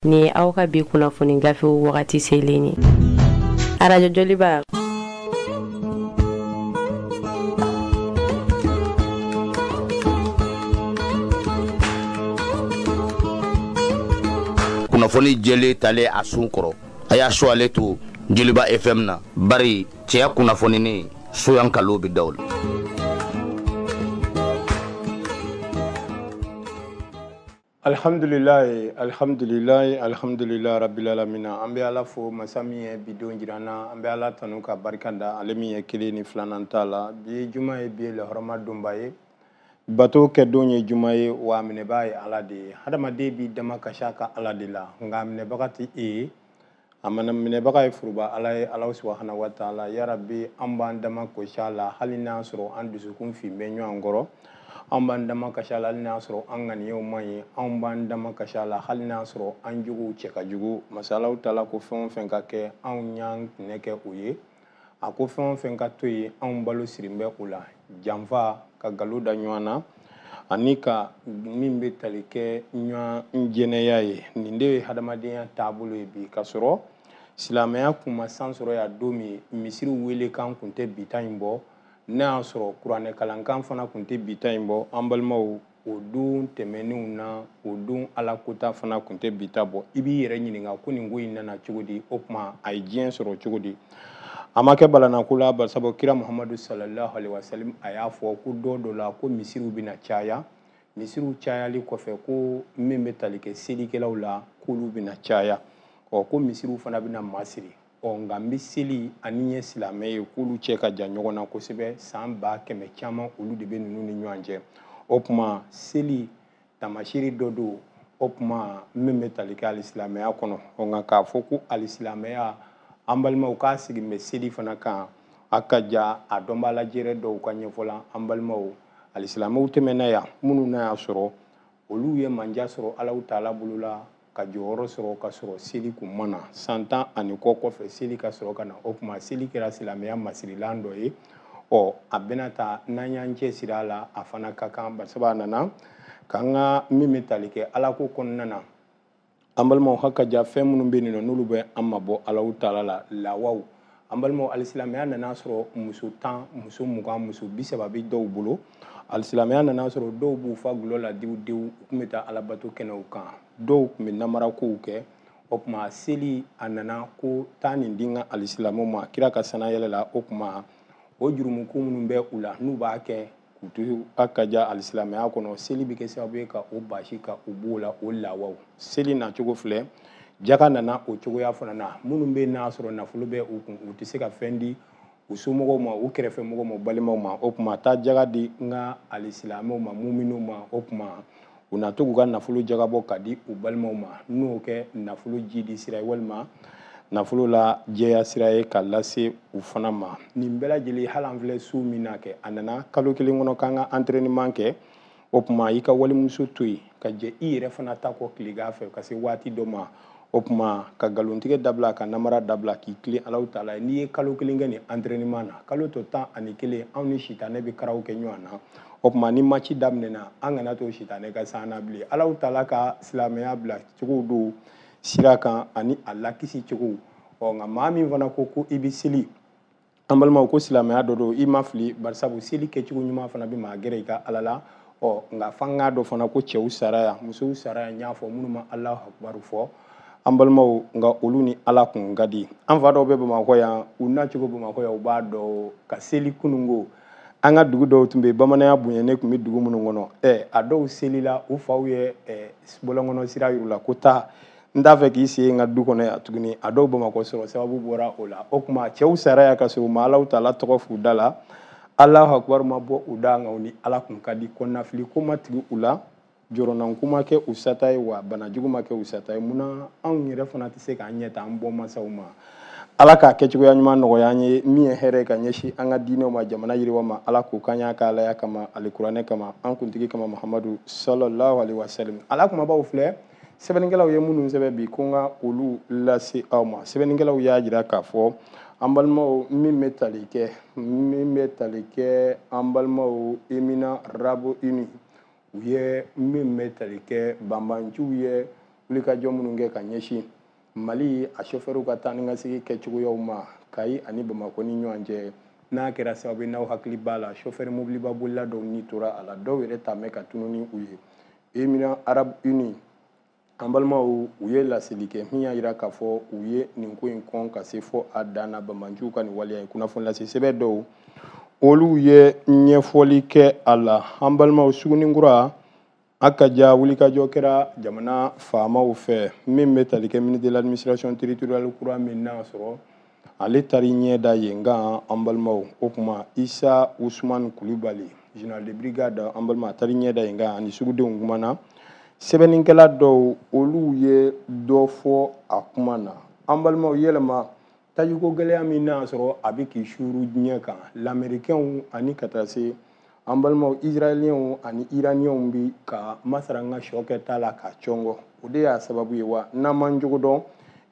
Nin ye aw ka bi kunnafoni gafew wagati selen ye. Arajo Joliba. Kunnafoni jɛlen talen a sun kɔrɔ, a y'a su ale to Joliba FM na, bari cɛya kunnafoninen soyan kalo bɛ da o la. Alhamdulilayi, alhamdulilayi, alhamdulilayi rabbil alamina. An bɛ Ala fo masa min ye bi don jira an na. An bɛ Ala tanu ka barika da ale min ye kelen ni filanan t'a la. Bi ye juma ye, bi ye lahɔrɔma donba ye. Bato kɛ don ye juma ye, wa a minɛbaa ye Ala de ye. Hadamaden b'i dama kasi a ka Ala de la, nka a minɛbaga tɛ e ye. A mana minɛbaga ye foroba Ala ye, Ala subahana wa taala. Ya Rabbi, an b'an dama kosi a la, hali n'a sɔrɔ an dusukun fin bɛ ɲɔgɔn kɔrɔ. An b'an dama kasi a la, hali n'a sɔrɔ an ŋaniyaw man ɲi. Anw b'an dama kasi a la, hali n'a sɔrɔ an jogow cɛ ka jugu. Masa Alahu taala ko fɛn o fɛn ka kɛ, anw y'an tɛnɛ kɛ o ye. A ko fɛn o fɛn ka to yen, anw balo sirin bɛ o la. Janfa, ka nkalon da ɲɔgɔn na, ani ka min bɛ tali kɛ ɲɔgɔn jɛnɛya ye. Nin de ye hadamadenya taabolo ye bi. K'a sɔrɔ silamɛya kun ma san sɔrɔ yan don min, misiriw welekan kun tɛ bi ta in bɔ. N'a y'a sɔrɔ kuranɛ kalankan fana kun tɛ bi ta in bɔ. An balimaw, o don tɛmɛnenw na, o don Ala kota fana kun tɛ bi ta bɔ. I b'i yɛrɛ ɲininka ko nin ko in nana cogo di, o tuma a ye diɲɛ sɔrɔ cogo di? A ma kɛ balanako la, barisabu kira Muhamadu sallallahu alaihi wasallam a y'a fɔ ko don dɔ la ko misiriw bɛna caya. Misiriw cayali kɔfɛ ko min bɛ tali kɛ selikɛlaw la, k'olu bɛna caya. Ko misiriw fana bɛna masiri. Nka n bɛ seli ani ye silamɛ ye, k'olu cɛ ka jan ɲɔgɔn na kosɛbɛ. San ba kɛmɛ caman olu de bɛ ninnu ni ɲɔgɔn cɛ. O tuma seli taamasiri dɔ don, o tuma min bɛ tali kɛ alisilamɛya kɔnɔ. Nka k'a fɔ ko alisilamɛya, an balimaw k'a sigi bɛ seli fana kan, a ka ja a dɔnbaa lajɛrɛ dɔw ka ɲɛfɔ la. An balimaw, alisilamɛw tɛmɛna yan, minnu n'a y'a sɔrɔ olu ye manja sɔrɔ Alahu taala bolo la, ka jɔyɔrɔ sɔrɔ ka sɔrɔ seli kun ma na. San tan ani kɔ kɔfɛ seli ka sɔrɔ ka na. O tuma seli kɛra silamɛya masirilan dɔ ye. A bɛna ta n'an y'an cɛ siri a la, a fana ka kan, barisabu a nana k'an ka min bɛ tali kɛ Ala ko kɔnɔna na. An balimaw, haka ja fɛn minnu bɛ yen nɔ, n'olu bɛ an mabɔ Alahu taala la, lawaw. An balimaw, alisilamɛya nana sɔrɔ muso 10, muso 20, muso 30 bɛ dɔw bolo. Alisilamɛya nana sɔrɔ dɔw b'u fa gulɔ la dewu dewu, u tun bɛ taa alabato kɛnɛw kan, dɔw tun bɛ namarakow kɛ. O tuma seli a nana ko taa nin di n ka alisilamɛw ma kira ka sanayɛlɛ la. O tuma o jurumuko minnu bɛ u la, n'u b'a kɛ k'u to a ka ja alisilamɛya kɔnɔ, seli bɛ kɛ sababu ye ka o basi ka u b'o la, o lawaw. Seli nacogo filɛ, jaka nana o cogoya fana na. Minnu bɛ n'a sɔrɔ nafolo bɛ u kun, u tɛ se ka fɛn di u somɔgɔw ma, u kɛrɛfɛ mɔgɔw ma, u balimaw ma. O tuma taa jaka di n ka alisilamɛw ma, muminw ma. O tuma u na to k'u ka nafolo jagabɔ ka di u balimaw ma, n'o kɛ nafolo jidi sira ye walima nafolo la jɛya sira ye ka lase u fana ma. Nin bɛɛ lajɛlen, hali an filɛ su min na kɛ, a nana kalo kelen kɔnɔ k'an ka entraînement kɛ. O tuma i ka walimuso to yen ka jɛ i yɛrɛ fana ta kɔ tilegan fɛ ka se waati dɔ ma. O tuma ka nkalontigɛ dabila, ka namara dabila, k'i tilen Alahu taala ye. N'i ye kalo kelen kɛ nin entraînement na, kalo tɔ 11, anw ni sitanɛ bɛ karaw kɛ ɲɔgɔn na. O tuma ni match daminɛna, an kana to sitanɛ ka s'an na bilen. Alahu taala ka silamɛya bila cogo don sira kan ani a lakisi cogo. Nka maa min fana ko ko i bɛ seli, an balimaw, ko silamɛya dɔ don, i ma fili, barisabu seli kɛcogo ɲuman fana bɛ maa gɛrɛ i ka Ala la. Nka f'an k'a dɔn fana ko cɛw sara yan, musow sara yan, n y'a fɔ minnu ma Alahu akubaru fɔ, an balimaw, nka olu ni Ala kun ka di. An fa dɔw bɛ Bamakɔ yan, u nacogo Bamakɔ yan, u b'a dɔn ka seli kununko. An ka dugu dɔw tun bɛ yen, bamananya bonya ne tun bɛ dugu minnu kɔnɔ. A dɔw selila, u faw ye bɔlɔnkɔnɔ sira yir'u la ko taa, n t'a fɛ k'i sen n ka du kɔnɔ yan tuguni. A dɔw Bamakɔ sɔrɔ sababu bɔra o la. O tuma cɛw sara yan ka sɔrɔ u ma Alahu taala tɔgɔ f'u da la, Alahu akubaru ma bɔ u da, nka u ni Ala kun ka di. Kɔnɔnafili ko ma tigi u la, jɔrɔnanko ma kɛ u sata ye, wa bana jugu ma kɛ u sata ye. Munna anw yɛrɛ fana tɛ se k'an ɲɛ ta an bɔ masaw ma? Ala k'a kɛcogoya ɲuman nɔgɔya an ye, min ye hɛrɛ ye ka ɲɛsin an ka diinɛw ma, jamana yiriwa ma. Ala k'o k'an y'a ka Alaya kama, alikuranɛ kama, an kuntigi kama, Muhamadu sallallahu alaihi wasallam. Ala kumabaw filɛ, sɛbɛnnikɛlaw ye minnu sɛbɛn bi, ko n ka olu lase aw ma. Sɛbɛnnikɛlaw y'a jira k'a fɔ an balimaw, min bɛ tali kɛ an balimaw Emina Rabo Uni, u ye min bɛ tali kɛ banbanciw ye, Wulikajɔ minnu kɛ ka ɲɛsin Mali a chauffeurw ka taa ni ka segin kɛcogoyaw ma Kayi ani Bamakɔ ni ɲɔgɔn cɛ, n'a kɛra sababu ye, n'aw hakili b'a la, chauffeur mobiliba bolila dɔw ni tora a la, dɔw yɛrɛ taamɛ ka tunun ni u ye. Émirats Arabes Unis, an balimaw, u ye laseli kɛ min y'a jira k'a fɔ u ye nin ko in kɔn ka se fɔ a dan na, banbaanciw ka nin waleya in. Kunnafoni lase sɛbɛn dɔw, olu ye ɲɛfɔli kɛ a la. An balimaw, Suguninkura a ka ja wulikajɔ kɛra jamana faamaw fɛ min bɛ tali kɛ ministre de l'administration territoriale kura min n'a sɔrɔ ale taari ɲɛ da yen kan. An balimaw, o kuma Isa Usman Kulubali, général de brigade, an balima, a taari ɲɛ da yen kan ani sugudenw kumana. Sɛbɛnnikɛla dɔw, olu ye dɔ fɔ a kuma na. An balimaw, yɛlɛma tajiko gɛlɛya min n'a sɔrɔ a bɛ k'i suuru diɲɛ kan, lamɛrikɛnw ani ka taa se an balimaw israéliyɛnw ani iraniyɛnw bi ka masara n ka sɔ kɛ ta la k'a cɔngɔ, o de y'a sababu ye wa. N'an m'an jogo dɔn,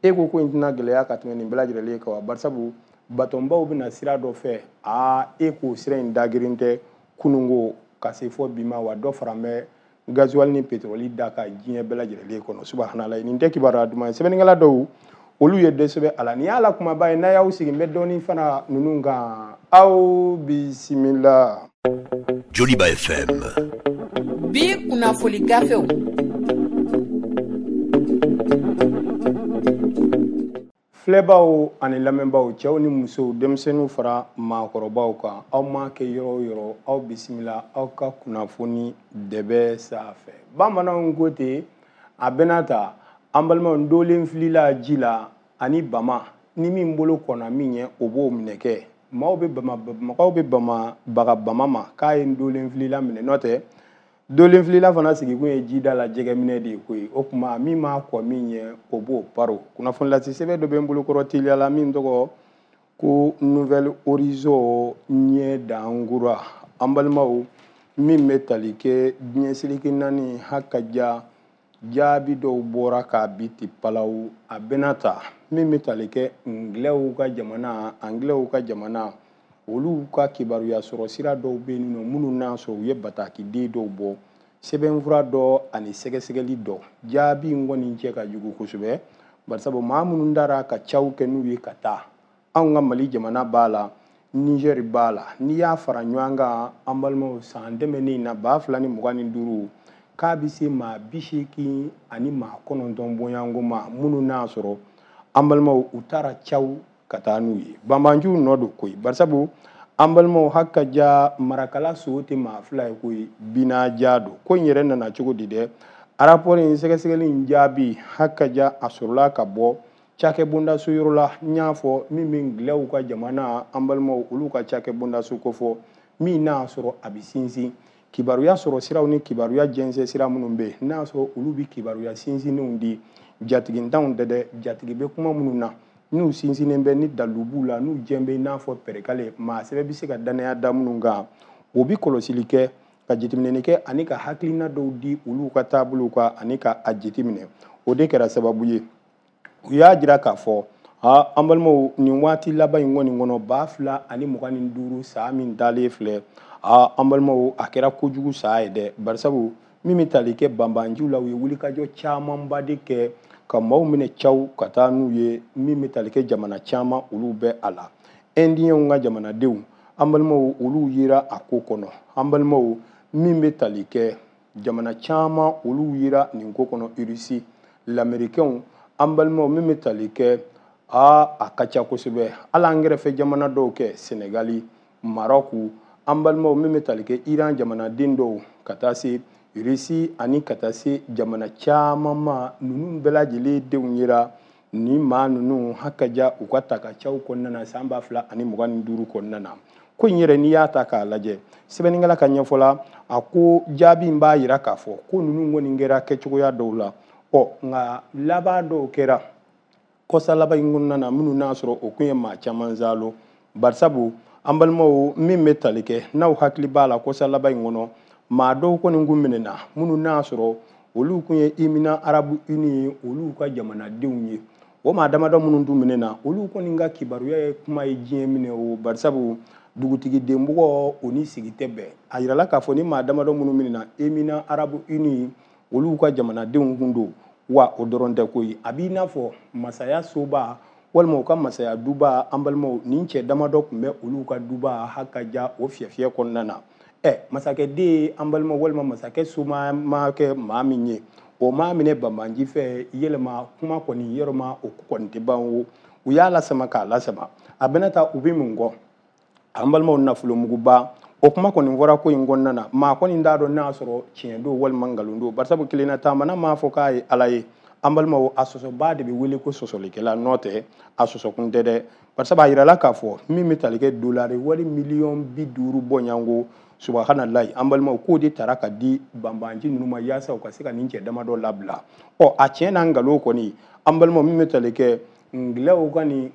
e ko ko in tɛna gɛlɛya ka tɛmɛ nin bɛɛ lajɛlen kan wa? Barisabu batɔnbaw bɛna sira dɔ fɛ, aa, e k'o sira in dagirin tɛ kununko ka se fɔ bi ma wa, dɔ fara bɛ gasoil ni pétrole da ka diɲɛ bɛɛ lajɛlen kɔnɔ. Subhanala, nin tɛ kibaruya duman ye. Sɛbɛnnikɛla dɔw, olu ye dɔ sɛbɛn a la. Nin y'a la kumaba ye. N'a y'aw sigi, n bɛ dɔɔni fana ninnu kan. Aw bisimila. Joliba FM. Bi kunnafoni gafew. Filɛbaw ani lamɛnbaw, cɛw ni musow, denmisɛnninw fara maakɔrɔbaw kan, aw m'a kɛ yɔrɔ o yɔrɔ, aw bisimila aw ka kunnafoni dɛbɛ sanfɛ. Bamananw ko ten, a bɛna ta an balimaw, ndolen filila ji la ani bama ni min bolo kɔnna min ɲɛ, o b'o minɛ kɛ. Maaw bɛ bama, mɔgɔw bɛ bama baga bama ma k'a ye ndolen filila minɛ, n'o tɛ dolen filila fana sigikun ye jida la jɛgɛminɛ de ye koyi. O tuma min m'a kɔ min ɲɛ, o b'o paro. Kunnafoni lase sɛbɛn dɔ bɛ n bolokɔrɔ teliya la min tɔgɔ ko Nouvel Horizon ɲɛ dankura. An balimaw, min bɛ tali kɛ diɲɛ seleke naani haka ja jaabi dɔw bɔra k'a bi ti palaw, a bɛna ta min bɛ tali kɛ ngilɛw ka jamana, angilɛw ka jamana, olu ka kibaruya sɔrɔ sira dɔw bɛ yen nɔ minnu n'a sɔrɔ u ye batakiden dɔw bɔ, sɛbɛnfura dɔ ani sɛgɛsɛgɛli dɔ. Jaabi in kɔni cɛ ka jugu kosɛbɛ, barisabu maa minnu dara ka caw kɛ n'u ye ka taa, anw ka Mali jamana b'a la, Niger b'a la, n'i y'a fara ɲɔgɔn kan, an balimaw, san tɛmɛnen na 2025, k'a bɛ se maa 89 bɔɲɔgɔnko ma minnu n'a sɔrɔ an balimaw u taara caw ka taa n'u ye. Banbanciw nɔ don koyi, barisabu an balimaw haka ja marakala so tɛ maa fila ye koyi, binaja don. Ko in yɛrɛ nana cogo di dɛ? Rapport in sɛgɛsɛgɛli in jaabi haka ja a sɔrɔla ka bɔ cakɛbondaso yɔrɔ la. N y'a fɔ min bɛ ngilɛw ka jamana, an balimaw, olu ka cakɛbondaso kofɔ, min n'a sɔrɔ a bɛ sinsin kibaruya sɔrɔ siraw ni kibaruya jɛnsɛn sira minnu bɛ yen, n'a sɔrɔ olu bɛ kibaruya sinsinnenw di jatigintanw tɛ dɛ, jatigi bɛ kuma minnu na n'u sinsinnen bɛ ni dalilu b'u la, n'u jɛn bɛ i n'a fɔ pɛrɛkale, maa sɛbɛ bɛ se ka danaya da minnu kan, o bɛ kɔlɔsili kɛ ka jateminɛni kɛ ani ka hakilina dɔw di olu ka taabolow kan ani ka a jateminɛ. O de kɛra sababu ye u y'a jira k'a fɔ, aa, an balimaw, nin waati laban in kɔni kɔnɔ, 2025 san min dalen filɛ, aa, an balimaw, a kɛra kojugu san ye dɛ, barisabu min bɛ tali kɛ banbanciw la, u ye wulikajɔ camanba de kɛ ka maaw minɛ caw ka taa n'u ye, min bɛ tali kɛ jamana caman, olu bɛ a la. Indiyɛnw ka jamanadenw, an balimaw, olu yera a ko kɔnɔ. An balimaw, min bɛ tali kɛ jamana caman, olu yera nin ko kɔnɔ, Irisi, lamɛrikɛnw, an balimaw, min bɛ tali kɛ, aa, a ka ca kosɛbɛ. Hali an kɛrɛfɛ jamana dɔw kɛ, Senegali, Marɔku, an balimaw, min bɛ tali kɛ Iran jamanaden dɔw ka taa se Irisi ani ka taa se jamana caman ma, ninnu bɛɛ lajɛlen denw yera ni maa ninnu haka ja u ka ta ka caw kɔnɔna na san 2025 kɔnɔna na. Ko in yɛrɛ, n'i y'a ta k'a lajɛ, sɛbɛnnikɛla ka ɲɛfɔ la, a ko jaabi in b'a yira k'a fɔ ko ninnu kɔni kɛra kɛcogoya dɔw la, ɔ nka laban dɔw kɛra kɔsa laban in kɔnɔna na minnu n'a sɔrɔ o kun ye maa caman zalo, barisabu an balimaw, min bɛ tali kɛ, n'aw hakili b'a la, kɔsa laban in kɔnɔ maa dɔw kɔni kun minɛna minnu n'a sɔrɔ olu kun ye Émirats Arabes Unis ye, olu ka jamanadenw ye. O maa damadɔ minnu tun minɛna, olu kɔni ka kibaruya ye kuma ye diɲɛ minɛ o, barisabu dugutigi denbugɔ o ni sigi tɛ bɛn. A yirala k'a fɔ ni maa damadɔ minnu minɛna, Émirats Arabes Unis olu ka jamanadenw kun don. Wa o dɔrɔn tɛ koyi, a b'i n'a fɔ masaya soba walima u ka masaya duba. An balimaw, nin cɛ damadɔ tun bɛ olu ka duba hakaja o fiyɛfiyɛ kɔnɔna na. Masakɛden, an balimaw, walima masakɛ soma ma kɛ maa min ye, o maa minɛ banbanji fɛ. Yɛlɛma kuma kɔni yɔrɔma o kɔni tɛ ban o, u y'a lasama k'a lasama. A bɛna taa u bɛ mun kɔ? An balimaw, nafolomuguba o kuma kɔni fɔra ko in kɔnɔna na. Maa kɔni t'a dɔn n'a sɔrɔ tiɲɛ don walima nkalon don, barisabu kelenna taamana m'a fɔ k'a ye Ala ye. An balimaw, a sɔsɔba de bɛ wele ko sɔsɔlikɛla, n'o tɛ a sɔsɔkun tɛ dɛ. Barisabu a yirala k'a fɔ min bɛ tali kɛ dolari wali miliyɔn 50 bɔɲɔgɔnko, subahanallahi, an balimaw, k'o de tara ka di banbanci ninnu ma yaasa u ka se ka nin cɛ damadɔ labila. A tiɲɛ n'a nkalon kɔni, an balimaw, min bɛ tali kɛ ngilɛw ka nin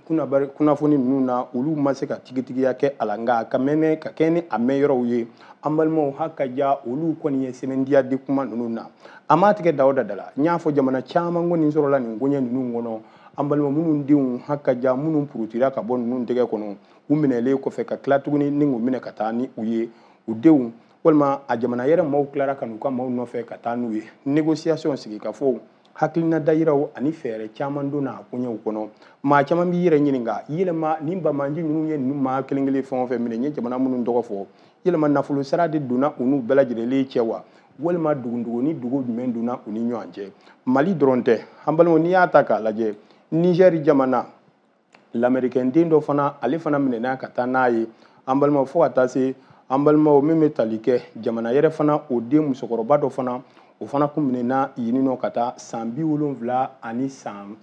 kunnafoni ninnu na, olu ma se ka tigitigiya kɛ a la, nka ka mɛnɛ ka kɛ ni a mɛn yɔrɔw ye. An balimaw, hakaja olu kɔni ye sɛbɛntiya di kuma ninnu na. A m'a tigɛ da o da la. N y'a fɔ jamana caman kɔni sɔrɔla nin koɲɛ ninnu kɔnɔ. An balima minnu denw hakaja minnu purutira ka bɔ ninnu tɛgɛ kɔnɔ, u minɛlen kɔfɛ ka tila tuguni ni k'u minɛ ka taa ni u ye, u denw walima a jamana yɛrɛ maaw tilara ka n'u ka maaw nɔfɛ ka taa n'u ye. Négociation, sigikafɔw, hakilina dayiraw ani fɛɛrɛ caman donna a koɲɛw kɔnɔ. Maa caman b'i yɛrɛ ɲininka, yɛlɛma nin banbanci ninnu ye ninnu maa kelen kelen fɛn o fɛn minɛ, n ye jamana minnu tɔgɔ fɔ, yɛlɛma nafolo sara de donna u n'u bɛɛ lajɛlen cɛ wa, walima dugudugu ni dugu jumɛn donna u ni ɲɔgɔn cɛ? Mali dɔrɔn tɛ, an balimaw, n'i y'a ta k'a lajɛ, Niger jamana lamɛrikɛn den dɔ fana, ale fana minɛna ka taa n'a ye. An balimaw, fo ka taa se an balimaw min bɛ tali kɛ jamana yɛrɛ fana, o den musokɔrɔba dɔ fana, o fana kun minɛna yen nɔ ka taa san 73 san.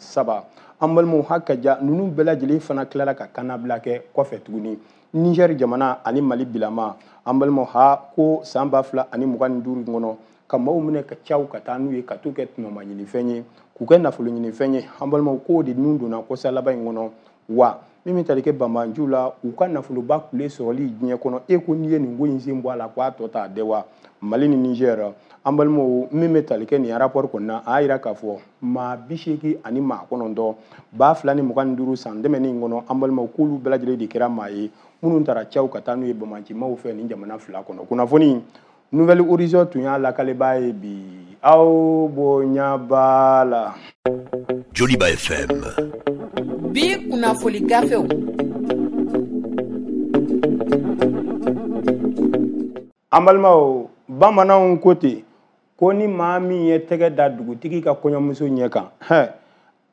An balimaw, hakaja ninnu bɛɛ lajɛlen fana tilala ka kannabila kɛ kɔfɛ tuguni. Niger jamana ani Mali bilama, an balimaw, ha ko san 2025 kɔnɔ, ka maaw minɛ ka caw ka taa n'u ye ka t'u kɛ tɔnɔma ɲinifɛn ye, k'u kɛ nafolo ɲinifɛn ye. An balimaw, k'o de nun donna kɔsa laban in kɔnɔ. Wa min bɛ tali kɛ banbanciw la, u ka nafoloba kule sɔrɔli diɲɛ kɔnɔ, e ko n'i ye nin ko in sen bɔ a la, k'a tɔ t'a dɛ wa. Mali ni Niger, an balimaw, min bɛ tali kɛ nin rapport kɔnɔna, a y'a yira k'a fɔ maa 89 2025 san tɛmɛnen in kɔnɔ, an balimaw, k'olu bɛɛ lajɛlen de kɛra maa ye minnu taara caw ka taa n'u ye banbancimaw fɛ nin jamana fila kɔnɔ. Kunnafoni Nouvel Horizon tun y'a lakalebaa ye bi. Aw bonya b'a la. Joliba FM. Bi kunnafoni gafew. An balimaw, bamananw ko ten ko ni maa min ye tɛgɛ da dugutigi ka kɔɲɔmuso ɲɛ kan, hɛn,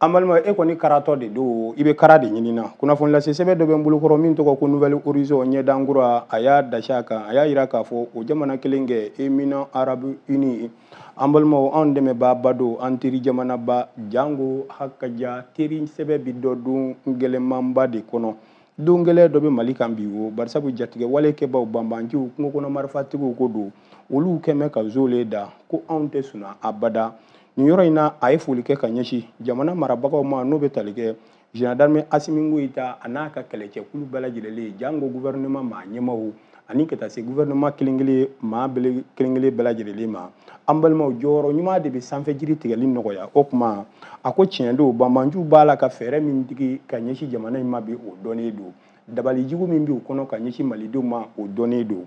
an balimaw, e kɔni karatɔ de don, i bɛ kara de ɲini na. Kunnafoni lase sɛbɛn dɔ bɛ n bolokɔrɔ min tɔgɔ ko Nouvel Horizon ɲɛdankura. A y'a dasi a kan, a y'a yira k'a fɔ o jamana kelen kɛ Émirats Arabes Unis, an balimaw, anw dɛmɛbaaba don, an teri jamanaba, jango hakaja teri sɛbɛn bi dɔ don gɛlɛnmanba de kɔnɔ. Don gɛlɛn dɔ bɛ Mali kan bi o, barisabu jatigɛ wale kɛbaw, banbanciw, kungo kɔnɔ marifatigiw ko don, olu kɛmɛ ka zole da ko anw tɛ sunna abada. Nin yɔrɔ in na, a ye foli kɛ ka ɲɛsin jamana marabagaw ma, n'o bɛ tali kɛ général d'armée Assimi Goïta a n'a ka kɛlɛcɛkulu bɛɛ lajɛlen, jango gouvernement maa ɲɛmaaw, ani ka taa se gouvernement kelen kelen maa kelen kelen bɛɛ lajɛlen ma. An balimaw, jɔyɔrɔ ɲuman de bɛ sanfɛ jiri tigɛli nɔgɔya. O tuma a ko tiɲɛ don, banbanciw b'a la ka fɛɛrɛ min digi ka ɲɛsin jamana in ma bi, o dɔnnen don. Dabalijugu min b'u kɔnɔ ka ɲɛsin malidenw ma, o dɔnnen don.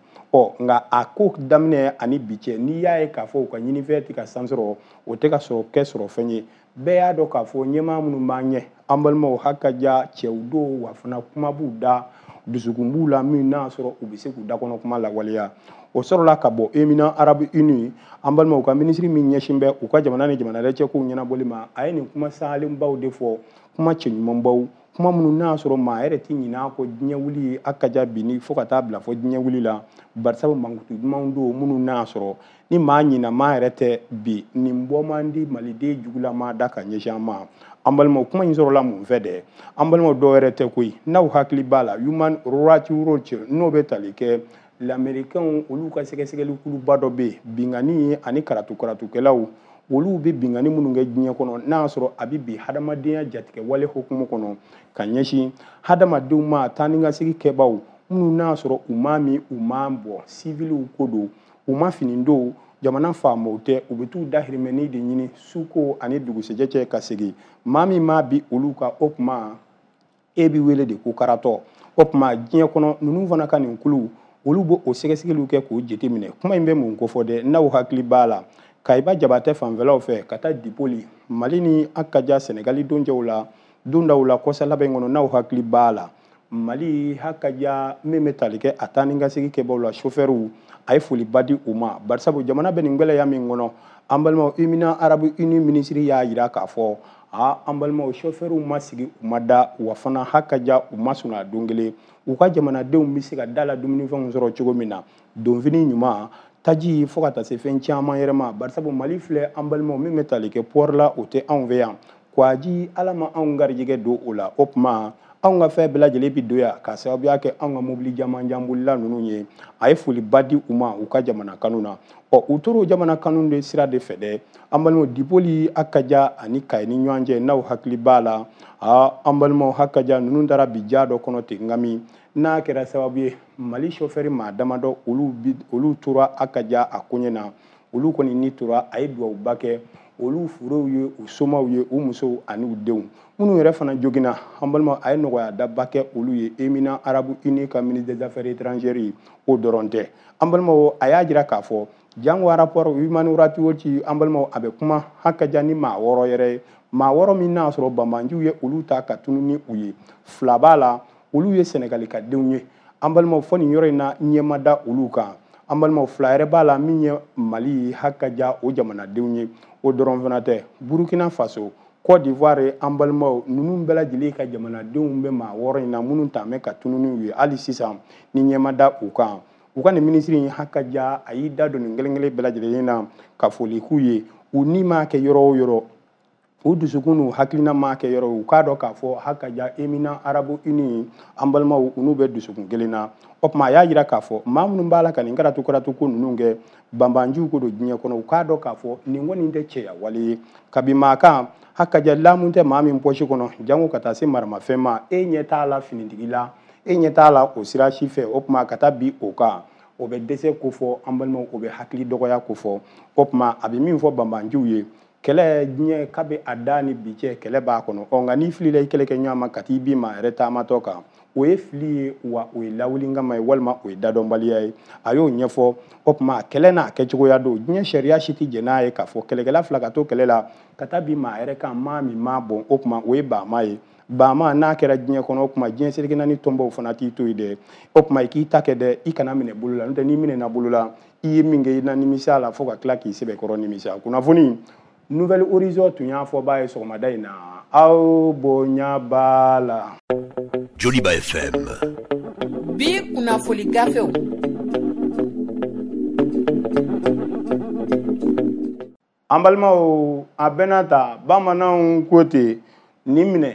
Nka a ko daminɛ ani bi cɛ, n'i y'a ye k'a fɔ u ka ɲinifɛn tɛ ka san sɔrɔ, o tɛ ka sɔrɔ kɛ sɔrɔ fɛn ye. Bɛɛ y'a dɔn k'a fɔ ɲɛmaa minnu b'an ɲɛ, an balimaw, hakaja cɛw don, wa fana kuma b'u da, dusukun b'u la, min n'a sɔrɔ u bɛ se k'u da kɔnɔ kuma lawaleya. O sɔrɔla ka bɔ Émirats Arabes Unis, an balimaw, ka minisiri min ɲɛsin bɛ u ka jamana ni jamana wɛrɛ cɛ kow ɲɛnabɔli ma, a ye nin kuma salenbaw de fɔ, kuma cɛɲumanbaw, kuma minnu n'a sɔrɔ maa yɛrɛ tɛ ɲinɛ a kɔ diɲɛ wuli ye hakaja bi ni fo ka taa bila fɔ diɲɛ wuli la. Barisabu mankutu dumanw don minnu n'a sɔrɔ ni maa ɲina maa yɛrɛ tɛ bi, nin bɔ man di maliden jugulama da ka ɲɛsin an ma. An balimaw, kuma in sɔrɔla mun fɛ dɛ? An balimaw, dɔw yɛrɛ tɛ koyi, n'aw hakili b'a la, Human Rights Watch, n'o bɛ tali kɛ lamɛrikɛnw olu ka sɛgɛsɛgɛli kuluba dɔ bɛ yen, binkanni ani karatu karatukɛlaw, olu bɛ binkanni minnu kɛ diɲɛ kɔnɔ, n'a y'a sɔrɔ a bɛ bi hadamadenya jatigɛ wale hukumu kɔnɔ ka ɲɛsin hadamadenw ma, taa ni ka segin kɛbaw minnu n'a y'a sɔrɔ u ma min, u ma bɔ, siviliw ko don, u ma fini don, jamana faamaw tɛ, u bɛ t'u dahirimɛni de ɲini suko ani dugusɛjɛ cɛ ka segin. Maa min ma bi olu ka, o tuma e bɛ wele de ko karatɔ. O tuma diɲɛ kɔnɔ ninnu fana ka nin kulu, olu b'o sɛgɛsɛgɛliw kɛ k'o jateminɛ. Kuma in bɛ mun kofɔ dɛ? N'aw hakili b'a la, Kayiba Jabatɛ fanfɛlaw fɛ ka taa Dipoli, Mali ni Akaja Senegali donjɛw la, dondaw la kɔsa laban in kɔnɔ, n'aw hakili b'a la, Mali Hakaja min bɛ tali kɛ a taa ni ka segin kɛbaw la, chauffeurw, a ye foliba di u ma, barisabu jamana bɛ nin gɛlɛya min kɔnɔ. An balimaw, Émirats Arabes Unis minisiri y'a jira k'a fɔ an balimaw, chauffeurw ma sigi, u ma da, wa fana Hakaja u ma sɔn a don kelen. U ka jamanadenw bɛ se ka da la dumunifɛnw sɔrɔ cogo min na, donfini ɲuman, taji, fo ka taa se fɛn caman yɛrɛ ma. Barisabu Mali filɛ, an balimaw, min bɛ tali kɛ port la, o tɛ anw fɛ yan. Kwaji, Ala ma anw garijɛgɛ don o la. O tuma anw ka fɛn bɛɛ lajɛlen bi don yan k'a sababuya kɛ anw ka mobili jamanjanbolila ninnu ye. A ye foliba di u ma u ka jamana kanu na. Ɔ, u tora o jamana kanu de sira de fɛ dɛ. An balimaw, Dipoli, Akaja ani Kayi ni ɲɔgɔn cɛ, n'aw hakili b'a la, an balimaw, Hakaja ninnu taara bi ja dɔ kɔnɔ ten, nka min n'a kɛra sababu ye Mali chauffeur maa damadɔ, olu tora Akaja a koɲɛ na, olu kɔni ni tora. A ye dugawuba kɛ olu furew ye, u somaw ye, u musow ani u denw minnu yɛrɛ fana joginna. An balima, a ye nɔgɔya daba kɛ olu ye, Émirats Arabes Unis ka ministre des Affaires étrangères ye. O dɔrɔn tɛ, an balimaw, a y'a jira k'a fɔ jango rapport Human Rights Watch, an balimaw, a bɛ kuma Hakaja ni maa 6 yɛrɛ ye, maa 6 min n'a sɔrɔ banbaanciw ye olu ta ka tunu ni u ye. 2 b'a la, olu ye Senegali ka denw ye. An balimaw, fɔ nin yɔrɔ in na, ɲɛma da olu kan. An balimaw, 2 yɛrɛ b'a la min ye Mali Hakaja o jamanadenw ye. O dɔrɔn fana tɛ, Burukina Faso, Côte d'Ivoire, an balimaw, ninnu bɛɛ lajɛlen ka jamanadenw bɛ maa 6 in na minnu tun bɛ ka tunu n'u ye hali sisan ni ɲɛma da u kan. U ka nin minisiri in Hakaja, a y'i da don nin kelen kelen bɛɛ lajɛlen na ka foli k'u ye. U ni m'a kɛ yɔrɔ o yɔrɔ, u dusukun n'u hakilina m'a kɛ yɔrɔ, u k'a dɔn k'a fɔ Hakaja Émirats Arabes Unis, an balimaw, u n'u bɛ dusukun kelen na. O tuma a y'a jira k'a fɔ maa minnu b'a la ka nin karatu karatu ko ninnu kɛ, banbanciw ko don diɲɛ kɔnɔ, u k'a dɔn k'a fɔ nin kɔni tɛ cɛya wale ye. Kabi maa kan Hakaja lamu tɛ maa min pɔsi kɔnɔ, jango ka taa se maramafɛn ma, e ɲɛ t'a la finitigi la, e ɲɛ t'a la o sira si fɛ. O tuma ka taa bi o kan, o bɛ dɛsɛ ko fɔ, an balimaw, o bɛ hakili dɔgɔya ko fɔ. O tuma a bɛ min fɔ banbanciw ye, kɛlɛ diɲɛ kabi a da ni bi cɛ, kɛlɛ b'a kɔnɔ. Ɔ, nka n'i filila i kɛlɛkɛ ɲɔgɔn ma ka t'i bin maa yɛrɛ taamatɔ kan, o ye fili ye, wa o ye lawuli kama ye, walima o ye dadɔnbaliya ye. A y'o ɲɛfɔ. O tuma kɛlɛ n'a kɛcogoya don, diɲɛ sariya si tɛ jɛn n'a ye k'a fɔ kɛlɛkɛla 2 ka to kɛlɛ la ka taa bin maa yɛrɛ kan, maa min m'a bɔn. O tuma o ye baama ye. Baama n'a kɛra diɲɛ kɔnɔ, o tuma diɲɛ seleke naani tɔnbaw fana t'i to yen dɛ. O tuma i k'i ta kɛ dɛ, i kana minɛ bolo la, n'o tɛ n'i minɛna bolo la, i ye min kɛ, i na nimisa la fo ka tila k'i sɛbɛkɔrɔ nimisa. Kunnafoni Nouvel Horizon tun y'a fɔ b'a ye sɔgɔmada in na, aw bonya b'a la. Joliba FM. Bi kunnafoli gafew. An balimaw, a bɛna ta bamananw ko ten, nin minɛ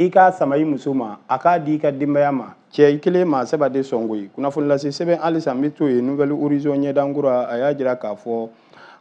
i k'a sama i muso ma, a k'a di i ka denbaya ma, cɛ i kelen maa saba de sɔn koyi. Kunnafoni lase sɛbɛn halisa n bɛ to yen, Nouvel Horizon ɲɛdankura, a y'a jira k'a fɔ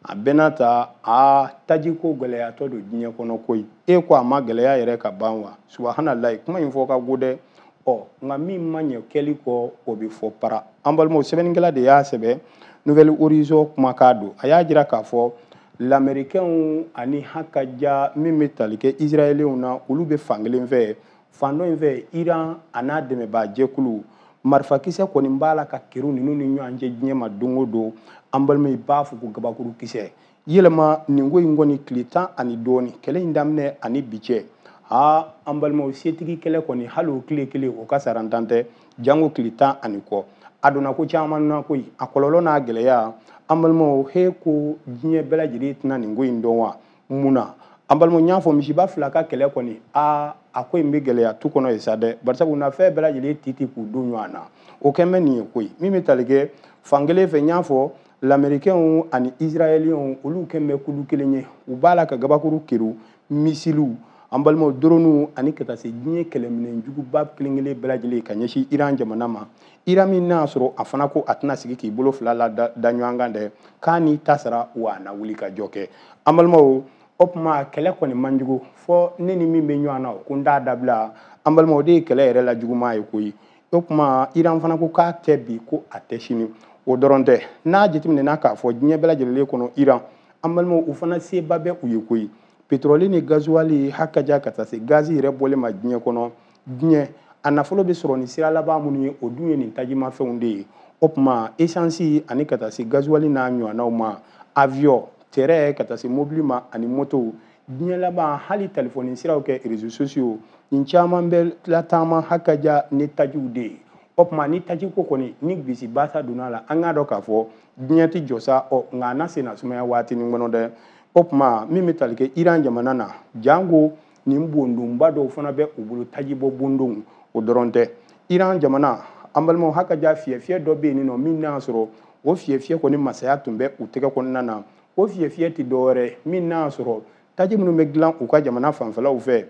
a bɛna ta a tajiko gɛlɛyatɔ don diɲɛ kɔnɔ koyi. E ko a ma gɛlɛya yɛrɛ ka ban wa? Subahanallahi, kuma in fɔ ka go dɛ. Ɔ, nka min ma ɲɛ kɛli kɔ, o bɛ fɔ para. An balimaw, sɛbɛnnikɛla de y'a sɛbɛn, Nouvel Horizon kumakan don. A y'a jira k'a fɔ l'Américains ani Hakaja min bɛ tali kɛ Israéliens na, olu bɛ fan kelen fɛ, fan dɔ in fɛ Iran a n'a dɛmɛbaa jɛkulu, marifakisɛ kɔni b'a la ka keru ninnu ni ɲɔgɔn cɛ diɲɛ ma don o don. An balimaw, i b'a fɔ ko gabakuru kisɛ yɛlɛma nin ko in kɔni tile 10 ani dɔɔni kɛlɛ in daminɛ ani bi cɛ. An balimaw, setigi kɛlɛ kɔni hali o tile kelen o ka sarantan tɛ, jango tile 10 ani kɔ. A donna ko caman na koyi, a kɔlɔlɔ n'a gɛlɛya. An balimaw, he ko diɲɛ bɛɛ lajɛlen tɛna nin ko in dɔn wa? Mun na? An balimaw, n y'a fɔ misiba 2 ka kɛlɛ kɔni, a ko in bɛ gɛlɛya tu kɔnɔ yen sa dɛ, barisabu na fɛn bɛɛ lajɛlen ti ti k'u don ɲɔgɔn na. O kɛn bɛ nin ye koyi. Min bɛ tali kɛ fan kelen fɛ, n y'a fɔ l'Américains ani Israéliens, olu kɛn bɛ kulu kelen ye, u b'a la ka gabakuru keru, misiliw, an balimaw, droniw ani ka taa se diɲɛ kɛlɛminɛn juguba kelen kelen bɛɛ lajɛlen ka ɲɛsin Iran jamana ma. Iran min n'a sɔrɔ a fana ko a tɛna sigi k'i bolo 2 la da ɲɔgɔn kan dɛ, k'a n'i ta sara wa a na wuli ka jɔ kɛ. An balimaw, o tuma kɛlɛ kɔni man jugu, fɔ ne ni min bɛ ɲɔgɔn na o ko n t'a dabila. An balimaw, o de ye kɛlɛ yɛrɛ la juguman ye koyi. O tuma Iran fana ko k'a tɛ bi, ko a tɛ sini. O dɔrɔn tɛ, n'a jateminɛna k'a fɔ diɲɛ bɛɛ lajɛlen kɔnɔ Iran, an balimaw, u fana seba bɛ u ye koyi. Pétrole ni gasoil Hakaja ka taa se gazi yɛrɛ bɔlen ma diɲɛ kɔnɔ, diɲɛ a nafolo bɛ sɔrɔ ni sira laban minnu ye, o dun ye nin tajimafɛnw de ye. O tuma essence ani ka taa se gasoil n'a ɲɔgɔnnaw ma, avion, tɛrɛ ka taa se mobili ma ani motow diɲɛ laban hali telefɔni siraw kɛ réseaux sociaux nin caman bɛ lataama hakaja ni tajiw de ye. O tuma ni taji ko kɔni ni bisi basa donna la, an k'a dɔn k'a fɔ diɲɛ tɛ jɔ sa, ɔ nka a na senna sumaya waatinin kɔnɔ dɛ. O tuma min bɛ tali kɛ Iran jamana na, jango nin bondonba dɔw fana bɛ u bolo tajibɔ bondonw, o dɔrɔn tɛ. Iran jamana an balimaw hakaja fiyɛfiyɛ dɔ bɛ yen nɔ min n'a sɔrɔ o fiyɛfiyɛ kɔni masaya tun bɛ u tɛgɛ kɔnɔna na. O fiyɛfiyɛ tɛ dɔwɛrɛ min n'a sɔrɔ taji minnu bɛ dilan u ka jamana fanfɛlaw fɛ,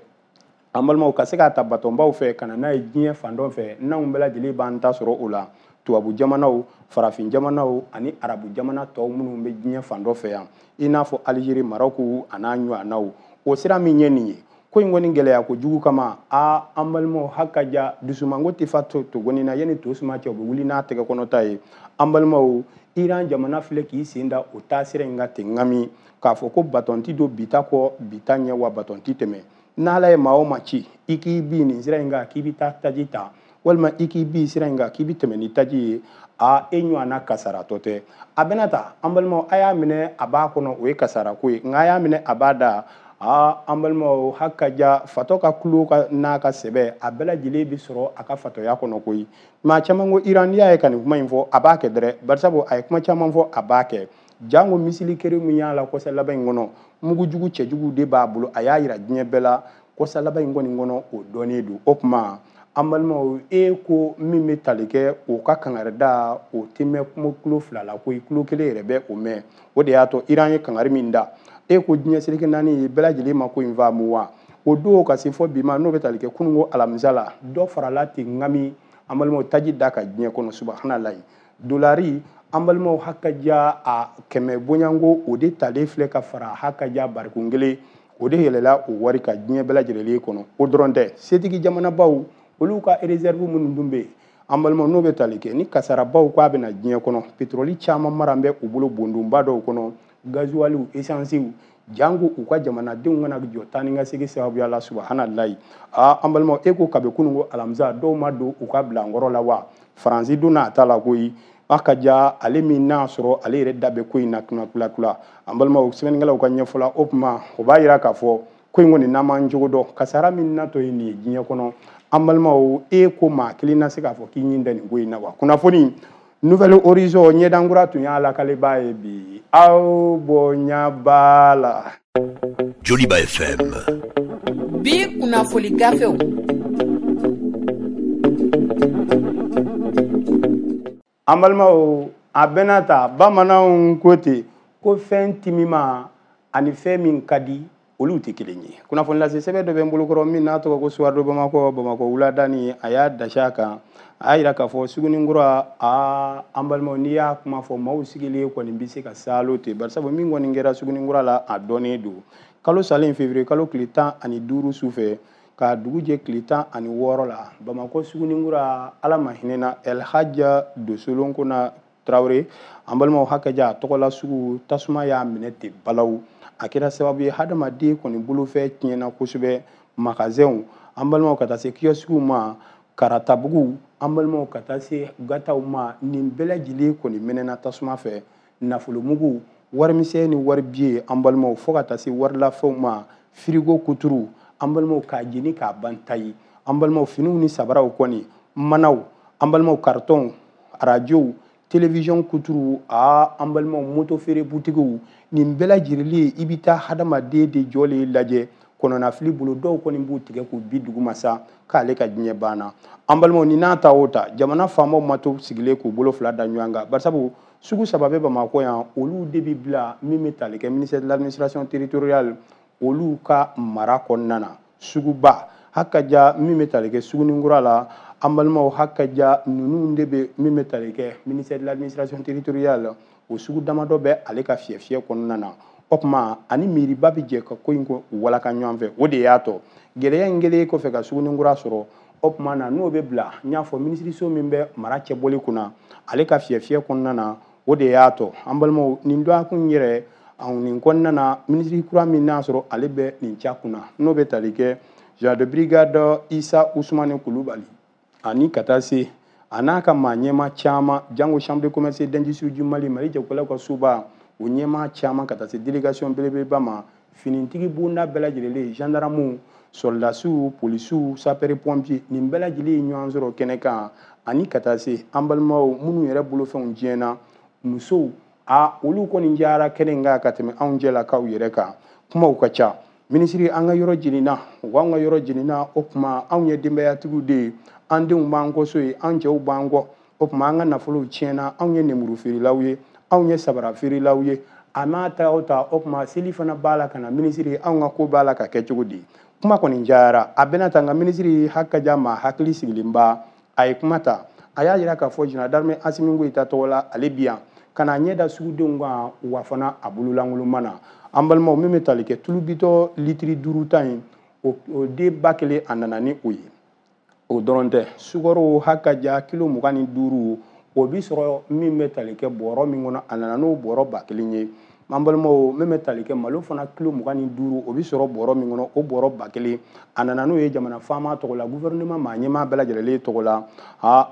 an balimaw ka se k'a ta batɔnbaw fɛ ka na n'a ye diɲɛ fan dɔ fɛ, n'anw bɛɛ lajɛlen b'an ta sɔrɔ o la. Tubabu jamanaw, farafin jamanaw ani arabu jamana tɔw minnu bɛ diɲɛ fan dɔ fɛ yan, i n'a fɔ Alizeri, Marɔku a n'a ɲɔgɔnnaw. O sira min ye nin ye, ko in kɔni gɛlɛya kojugu kama, a an balimaw hakaja dusumango tɛ fa togoni na, yanni to suma cɛ u bɛ wuli n'a tɛgɛ kɔnɔta ye. An balimaw, Iran jamana filɛ k'i sen da o taasira in kan ten ŋami, k'a fɔ ko batɔn ti don bi ta kɔ bi ta ɲɛ, wa batɔn ti tɛmɛ. N'Ala ye maa o maa ci i k'i bin nin sira in kan k'i bɛ taa taji ta, walima i k'i bin sira in kan k'i bɛ tɛmɛ ni taji ye, a e ɲɔgɔnna kasaratɔ tɛ. A bɛna ta an balimaw, a y'a minɛ a b'a kɔnɔ, o ye kasarako ye, nka a y'a minɛ a b'a da. Aa an balimaw hakaja fatɔ ka kulo ka n'a ka sɛbɛ a bɛɛ lajɛlen bɛ sɔrɔ a ka fatɔya kɔnɔ koyi. Maa caman ko Iran, n'i y'a ye ka nin kuma in fɔ a b'a kɛ dɛrɛ, barisabu a ye kuma caman fɔ a b'a kɛ. Jango misili kere min y'a la kɔsa laban in kɔnɔ, mugujugu cɛjugu de b'a bolo, a y'a yira diɲɛ bɛɛ la kɔsa laban in kɔni kɔnɔ, o dɔnnen don. O tuma an balimaw, e ko min bɛ tali kɛ o ka kangarida, o tɛ mɛn kuma kulo fila la koyi, kulo kelen yɛrɛ bɛ o mɛn. O de y'a to Iran ye kangari min da, e ko diɲɛ seleke naani ye bɛɛ lajɛlen ma ko in faamu wa. O don ka se fɔ bi ma, n'o bɛ tali kɛ kununko alamisa la, dɔ farala ten ŋami an balimaw taji da ka diɲɛ kɔnɔ, subahanallahi. Dolari an balimaw hakaja a kɛmɛ bonyanko o de talen filɛ ka fara hakaja barikon kelen, o de yɛlɛla o wari ka diɲɛ bɛɛ lajɛlen kɔnɔ. O dɔrɔn tɛ, setigi jamanabaw olu ka réserve minnu dun bɛ yen an balimaw, n'o bɛ tali kɛ ni kasarabaw k'a bɛna diɲɛ kɔnɔ, pétrole caman mara bɛ u bolo bondonba dɔw kɔnɔ, gazuwaliw, esansiw, jango u ka jamanadenw kana jɔ taa ni ka segin sababuya la, subahanallahi. Aa an balimaw, e ko kabi kununko alamisa dɔw ma don u ka bilankɔrɔ la wa? Faransi donna a ta la koyi. Hakaja ale min n'a sɔrɔ ale yɛrɛ da bɛ ko in na kunna. An balimaw, sɛbɛnnikɛlaw ka ɲɛfɔ la, o tuma o b'a yira k'a fɔ ko in kɔni n'an m'an cogo dɔn, kasara min natɔ ye nin ye diɲɛ kɔnɔ. An balimaw, e ko maa kelen na se k'a fɔ k'i ɲin tɛ nin ko in na wa? Kunnafoni Nouvel Horizon ɲɛdankura tun y'a lakalibaa ye bi, aw bonya b'a la. Joliba FM. Bi kunnafoni gafew. An balimaw, a bɛna ta bamananw ko ten ko fɛn timima ani fɛn min ka di olu tɛ kelen ye. Kunnafoni lase sɛbɛn dɔ bɛ n bolokɔrɔ min n'a tɔgɔ ko Soir de Bamakɔ, Bamakɔ wuladani, a y'a dasi a kan, a y'a yira k'a fɔ Suguninkura, aa an balimaw, n'i y'a kuma fɔ maaw sigilen kɔni bɛ se ka saalo ten, barisabu min kɔni kɛra Suguninkura la a dɔnnen don. Kalo salen février kalo tile 15 su fɛ ka dugu jɛ tile 16 la, Bamakɔ Suguninkura, Ala ma hinɛ na El Hadja Dosolonkona Traoré, an balimaw hakaja a tɔgɔla sugu tasuma y'a minɛ ten balawu. A kɛra sababu ye hadamaden kɔni bolofɛn tiɲɛna kosɛbɛ, magasinw an balimaw ka taa se kiosques ma, karatabugu an balimaw ka taa se gataw ma, nin bɛɛ lajɛlen kɔni mɛnɛna tasuma fɛ. Nafolomugu, warimisɛn ni waribiye an balimaw, fo ka taa se warilafɛnw ma, firigo kuturu an balimaw k'a jeni k'a ban tayi, an balimaw finiw ni sabaraw kɔni, manaw an balimaw, karitɔnw, arajow, télévision kuturu, aa an balimaw moto feere butigiw, nin bɛɛ lajɛlen i bɛ taa hadamaden de jɔlen lajɛ kɔnɔnafili bolo, dɔw kɔni b'u tigɛ k'u bi duguma sa k'ale ka diɲɛ banna. An balimaw, ni n'a ta o ta, jamana faamaw ma to sigilen k'u bolo fila da ɲɔgɔn kan, barisabu sugu saba bɛ Bamakɔ yan, olu de bɛ bila min bɛ tali kɛ ministère de l'administration territoriale olu ka mara kɔnɔna na. Suguba hakaja min bɛ tali kɛ Suguninkura la, an balimaw hakaja ninnu de bɛ min bɛ tali kɛ ministère de l'administration territoriale, o sugu damadɔ bɛ ale ka fiyɛfiyɛ kɔnɔna na. O tuma ani miiriba bɛ jɛ ka ko in ko walaka ɲɔgɔn fɛ, o de y'a tɔ gɛlɛya in kɛlen kɔfɛ ka Suguninkura sɔrɔ. O tuma na n'o bɛ bila, n y'a fɔ minisiriso min bɛ mara cɛbɔli kunna ale ka fiyɛfiyɛ kɔnɔna na, o de y'a tɔ an balimaw nin dɔgɔkun yɛrɛ nin kɔnɔna na, minisiri kura min n'a sɔrɔ ale bɛ nin ca kunna, n'o bɛ tali kɛ général de brigade Isa Usumani Kulubali ani ka taa se a n'a ka maa ɲɛma caman, jango chambre de commerce d'industrie du Mali, Mali jagokɛlaw ka soba, o ɲɛmaa caman ka taa se délégation belebeleba ma finitigi bonda bɛɛ lajɛlen gendarmew sɔrɔdasiw polisiw sapeur pompier nin bɛɛ lajɛlen ye ɲɔgɔn sɔrɔ kɛnɛ kan ani ka taa se an balimaw minnu yɛrɛ bolofɛnw tiɲɛna musow a olu kɔni jara kɛnɛ in kan ka tɛmɛ anw jɛlakaw yɛrɛ kan kumaw ka ca minisiri an ka yɔrɔ jenina u an ka yɔrɔ jenina o tuma anw ye denbayatigiw de ye an denw b'an kɔ so ye an cɛw b'an kɔ o tuma an ka nafolow tiɲɛna anw ye nemuru feerelaw ye anw ye sabara feerelaw ye a n'a ta o ta o tuma seli fana b'a la ka na minisiri anw ka ko b'a la ka kɛ cogo di kuma kɔni cayara a bɛna ta nka minisiri hakaja ma hakili sigilenba a ye kuma ta a y'a jira k'a fɔ général d'armée Assimi Goïta tɔgɔ la ale bi yan ka na ɲɛ da sugudenw kan wa fana a bololankolon na an balimaw min bɛ tali kɛ tulu bitɔ litiri 5 ta in o den 1000 a nana ni o ye o dɔrɔn tɛ sukaro hakaja kilo 25 o bi sɔrɔ min bɛ tali kɛ bɔrɔ min kɔnɔ a nana n'o bɔrɔ 1000 ye an balimaw min bɛ tali kɛ malo fana kilo 25 o bi sɔrɔ bɔrɔ min kɔnɔ o bɔrɔ 1000 a nana n'o ye jamana faama tɔgɔ la gouvernement maa ɲɛmaa bɛɛ lajɛlen tɔgɔ la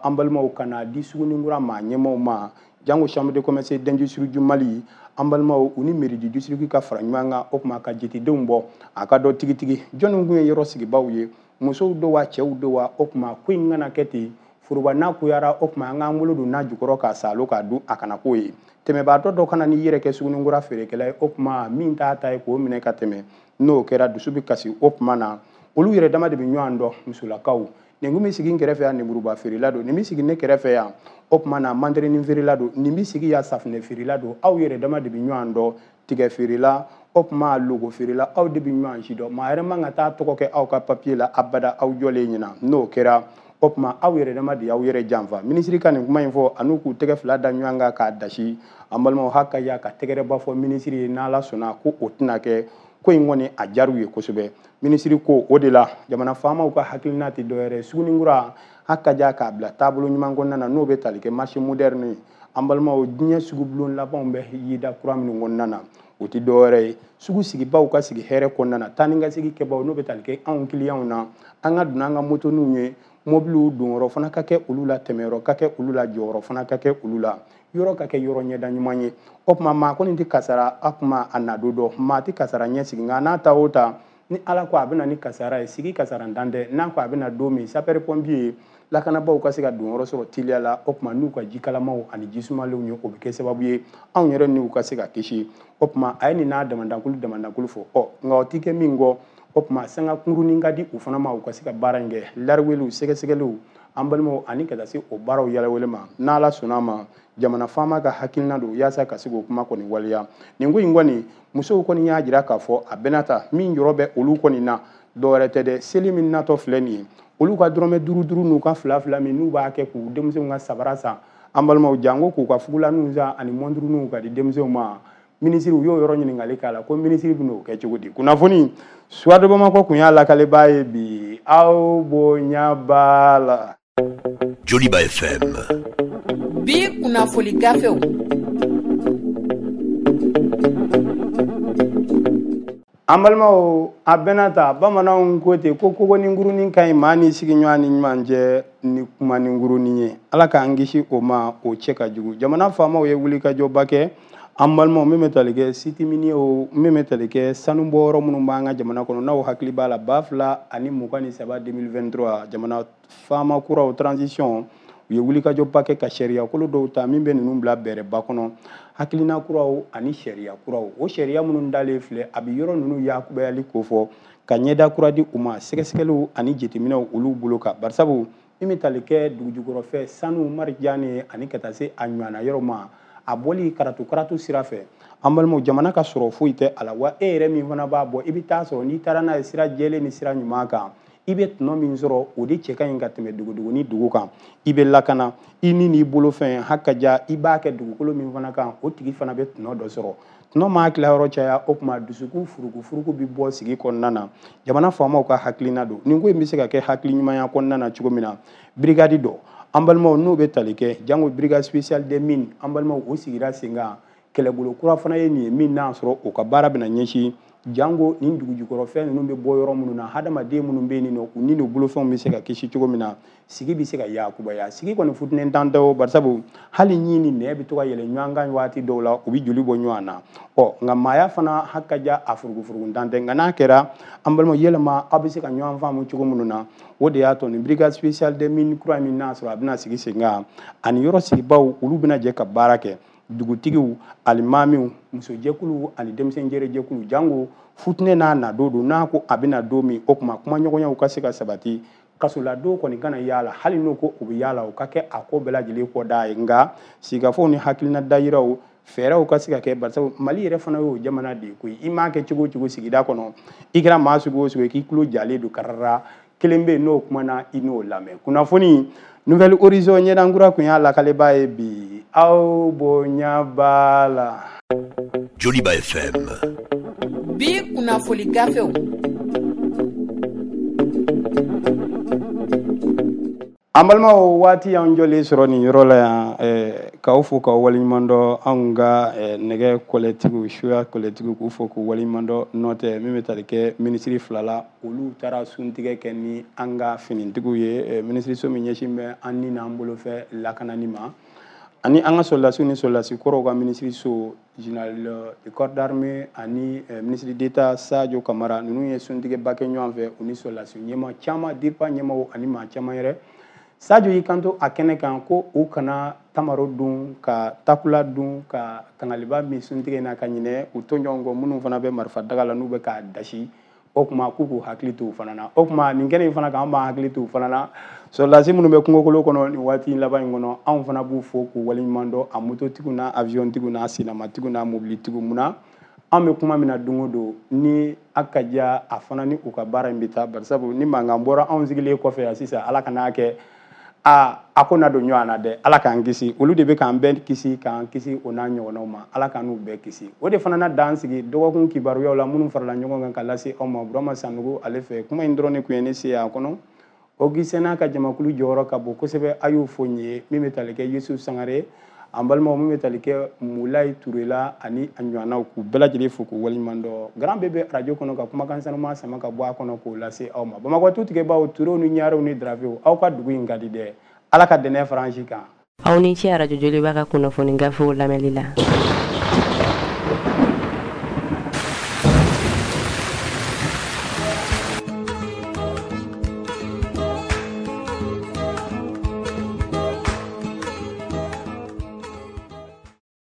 an balimaw ka na di Suguninkura maa ɲɛmaaw ma jango chambre de commerce d'industrie du Mali an balimaw u ni mairie du district ka fara ɲɔgɔn kan o tuma ka jetedenw bɔ a ka dɔn tigitigi jɔnni kun ye yɔrɔ sigibaw ye musow do wa cɛw do wa o tuma ko in kana kɛ ten foroba n'a kuyara o tuma an k'an bolo don n'a jukɔrɔ k'a salo k'a dun a kana k'o ye tɛmɛbaatɔ dɔ kana n'i yɛrɛ kɛ Suguninkura feerekɛla ye o tuma min t'a ta ye k'o minɛ ka tɛmɛ n'o kɛra dusu bɛ kasi o tuma na olu yɛrɛ dama de bɛ ɲɔgɔn dɔn musolakaw nin kun bɛ sigi n kɛrɛfɛ yan nemuruba feerela don nin bɛ sigi ne kɛrɛfɛ yan o tuma na manterenin feerela don nin bɛ sigi yan safunɛ feerela don aw yɛrɛ dama de bɛ ɲɔgɔn dɔn tigɛ feerela o tuma logo feerela aw de bɛ ɲɔgɔn si dɔn maa yɛrɛ man ka taa tɔgɔ kɛ aw ka papiye la abada aw jɔlen ɲɛna n'o kɛra o tuma aw yɛrɛ dama de y'aw yɛrɛ janfa minisiri ka nin kuma in fɔ an'u k'u tɛgɛ fila da ɲɔgɔn kan k'a dasi an balimaw hakaja ka tɛgɛrɛba fɔ minisiri ye n'Ala sɔnna ko o tɛna kɛ ko in kɔni a diyar'u ye kosɛbɛ minisiri ko o de la jamana faamaw ka hakilina tɛ dɔwɛrɛ Suguninkura hakaja k'a bila taabolo ɲuman kɔnɔna na n'o bɛ tali kɛ marché moderne ye an balimaw diɲɛ sugubulon labanw bɛ yida kura minnu kɔnɔna na o tɛ dɔwɛrɛ ye sugu sigibaw ka sigi hɛrɛ kɔnɔna na taa ni ka segin kɛbaw n'o bɛ tali kɛ anw kiliyanw na an ka don an ka motoninw ye mobiliw donyɔrɔ fana ka kɛ olu la tɛmɛyɔrɔ ka kɛ olu la jɔyɔrɔ fana ka kɛ olu la yɔrɔ ka kɛ yɔrɔ ɲɛda ɲuman ye o tuma maa kɔni tɛ kasara a kuma a na don dɔn maa tɛ kasara ɲɛsigi nka n'a ta o ta ni Ala ko a bɛ na ni kasara ye sigi kasara dan tɛ n'a ko a bɛ na don min sapeur pompier lakanabaaw ka se ka donyɔrɔ sɔrɔ teliya la o tuma n'u ka jikalamaw ani jisumalenw ye o bɛ kɛ sababu ye anw yɛrɛ n'u ka se ka kisi o tuma a ye nin n'a damadakulu fɔ ɔ nka o tɛ kɛ min kɔ o tuma sanga kunkurunin ka di u fana ma u ka se ka baara in kɛ lariweliw sɛgɛsɛgɛliw an balimaw ani ka taa se o baaraw yalawele ma n'Ala sɔnna a ma jamana faama ka hakilina don yaasa ka se k'o kuma kɔni waleya nin ko in kɔni musow kɔni y'a jira k'a fɔ a bɛna ta min yɔrɔ bɛ olu kɔni na dɔwɛrɛ tɛ dɛ seli min natɔ filɛ nin ye olu ka dɔrɔmɛ 5 5 n'u ka 2 2 min n'u b'a kɛ k'u denmisɛnw ka sabara san an balimaw janko k'u ka fugulaninw san ani mɔnturuninw ka di denmisɛnw ma minisiri u y'o yɔrɔ ɲininkali k'a la ko minisiri bɛn'o kɛ cogo di kunnafoni Soir de Bamako kun y'a lakalebaa ye bi aw bonya b'a la. Joliba FM. Bi kunnafoni gafew. An balimaw a bɛna ta bamananw ko ten ko kogoninkurunin ka ɲi maa ni sigiɲɔgɔn ni ɲuman cɛ ni kumaninkurunin ye Ala k'an kisi o ma o cɛ ka jugu jamana faamaw ye wulikajɔba kɛ an balimaw min bɛ tali kɛ sitiminiw min bɛ tali kɛ sanubɔyɔrɔ minnu b'an ka jamana kɔnɔ n'aw hakili b'a la 2023 2023 jamana faama kuraw transition u ye wulikajɔba kɛ ka sariya kolo dɔw ta min bɛ ninnu bila bɛrɛba kɔnɔ hakilina kuraw ani sariya kuraw o sariya minnu dalen filɛ a bɛ yɔrɔ ninnu yakubayali kofɔ ka ɲɛda kura di u ma sɛgɛsɛgɛliw ani jateminɛw olu bolo kan barisabu min bɛ tali kɛ dugujukɔrɔfɛ sanu marijane ani ka taa se a ɲɔgɔnna yɔrɔ ma a bɔli karatu karatu sira fɛ an balimaw jamana ka sɔrɔ foyi tɛ a la wa e yɛrɛ min fana b'a bɔ i bɛ taa sɔrɔ n'i taara n'a ye sira jɛlen ni sira ɲuman kan i bɛ tɔnɔ min sɔrɔ o de cɛ ka ɲi ka tɛmɛ dugudugu ni dugu kan i bɛ lakana i ni n'i bolofɛn hakaja i b'a kɛ dugukolo min fana kan o tigi fana bɛ tɔnɔ dɔ sɔrɔ tɔnɔ maa tilayɔrɔ caya o tuma dusukun furuku furuku bɛ bɔ sigi kɔnɔna na jamana faamaw ka hakilina don nin ko in bɛ se ka kɛ hakili ɲumanya kɔnɔna na cogo min na brigade dɔ an balimaw n'o bɛ tali kɛ jango brigade spéciale des mines an balimaw o sigira sen kan kɛlɛbolo kura fana ye nin ye min n'a sɔrɔ o ka baara bɛna ɲɛsin Jango nin dugujukɔrɔfɛn ninnu bɛ bɔ yɔrɔ minnu na, hadamaden minnu bɛ yen nɔ, u ni n'u bolofɛnw bɛ se ka kisi cogo min na, sigi bɛ se ka yakubaya. Sigi kɔni futinɛ tan tɛ o, barisabu hali ɲin ni nɛ bɛ to ka yɛlɛ ɲɔgɔn kan waati dɔw la, u bɛ joli bɔ ɲɔgɔn na. Ɔ nka maaya fana haki ka ja a furugufuruguntan tɛ, nka n'a kɛra an balimaw yɛlɛma aw bɛ se ka ɲɔgɔn faamu cogo minnu na, o de y'a to nin brigade spéciale des mines kura min n'a sɔrɔ a bɛna sigi sen kan, ani yɔrɔ sigibaw olu bɛna jɛ ka baara kɛ, dugutigiw, alimamiw, musojɛkuluw ani denmisɛnjɛrɛjɛkulu. Jango futinɛ n'a na don don, n'a ko a bɛna don min, o tuma kumaɲɔgɔnyaw ka se ka sabati, kasoladon kɔni kana yaala, hali n'o ko u bɛ yaala, o ka kɛ a ko bɛɛ lajɛlen kɔda ye. Nka sigikafɔw ni hakilina dayiraw fɛɛrɛw ka se ka kɛ, barisabu Mali yɛrɛ fana y'o jamana de ye koyi. I m'a kɛ cogo o cogo sigida kɔnɔ, i kɛra maa sugu o sugu ye, k'i tulo jalen don karara, kelen bɛ yen n'o kumana i n'o lamɛn. Kunnafoni Nouvelle Horizon ɲɛdankura kun y'a lakalebaa ye bi, aw bonya b'a la. Joliba FM. Bi kunnafoni gafew. An balimaw, waati y'an jɔlen sɔrɔ nin yɔrɔ la yan, k'aw fo k'aw waleɲuman dɔn, anw ka nɛgɛ kɔlɛtigiw, suya kɔlɛtigiw, k'u fo k'u waleɲuman dɔn. N'o tɛ min bɛ tali kɛ minisiri fila la, olu taara suntigɛ kɛ ni an ka finitigiw ye, minisiriso min ɲɛsin bɛ an ni n'an bolofɛ lakanani ma, ani an ka sɔrɔdasiw ni sɔrɔdasi kɔrɔw ka minisiriso, général de corps d'armée ani ministre d'État Sadio Kamara, ninnu ye suntigɛba kɛ ɲɔgɔn fɛ, u ni sɔrɔdasi ɲɛmaa caman, DIRPA ɲɛmaaw ani maa caman yɛrɛ. Sadio y'i kanto a kɛnɛ kan ko u kana tamaro dun, ka takula dun, ka kangaliba min suntigɛ in na ka ɲinɛ u tɔɲɔgɔn kɔ minnu fana bɛ marifa daga la n'u bɛ k'a dasi, o tuma k'u k'u hakili to u fana na. O tuma nin kɛnɛ in fana kan, an b'an hakili to u fana na. Sɔrɔdasi minnu bɛ kungokolo kɔnɔ nin waati in laban in kɔnɔ, anw fana b'u fo k'u waleɲuman dɔn, a mototigiw n'a avion-tigiw n'a senamatigiw n'a mobilitigiw. Munna an bɛ kuma min na don o don, ni a ka diya a fana ni u ka baara in bɛ taa, barisabu ni mankan bɔra anw sigilen kɔfɛ yan sisan, Ala kan'a kɛ a ko na don ɲɔgɔn na dɛ, Ala k'an kisi. Olu de bɛ k'an bɛɛ kisi, k'an kisi o n'a ɲɔgɔnnaw ma, Ala k'an n'u bɛɛ kisi. O de fana na dan sigi dɔgɔkun kibaruyaw la minnu farala ɲɔgɔn kan ka lase aw ma Burama Sanogo ale fɛ. Kuma in dɔrɔn de tun ye ne se a kɔnɔ. Augustin n'a ka jamakulu jɔyɔrɔ ka bon kosɛbɛ, a y'o fɔ n ye, min bɛ tali kɛ Yusuf Sangare, an balimaw, min bɛ tali kɛ Mulayi Ture la ani a ɲɔgɔnnaw, k'u bɛɛ lajɛlen fo k'u waleɲuman dɔn. Grand B bɛ arajo kɔnɔ ka kumakan sanuman sama ka bɔ a kɔnɔ k'o lase aw ma. Bamakɔ tutigɛbaw, Turew ni Ɲarew ni Darafew, aw ka dugu in ka di dɛ. Ala ka dɛnɛ faransi kan. Aw ni ce arajo Joliba ka kunnafoni gafew lamɛnli la.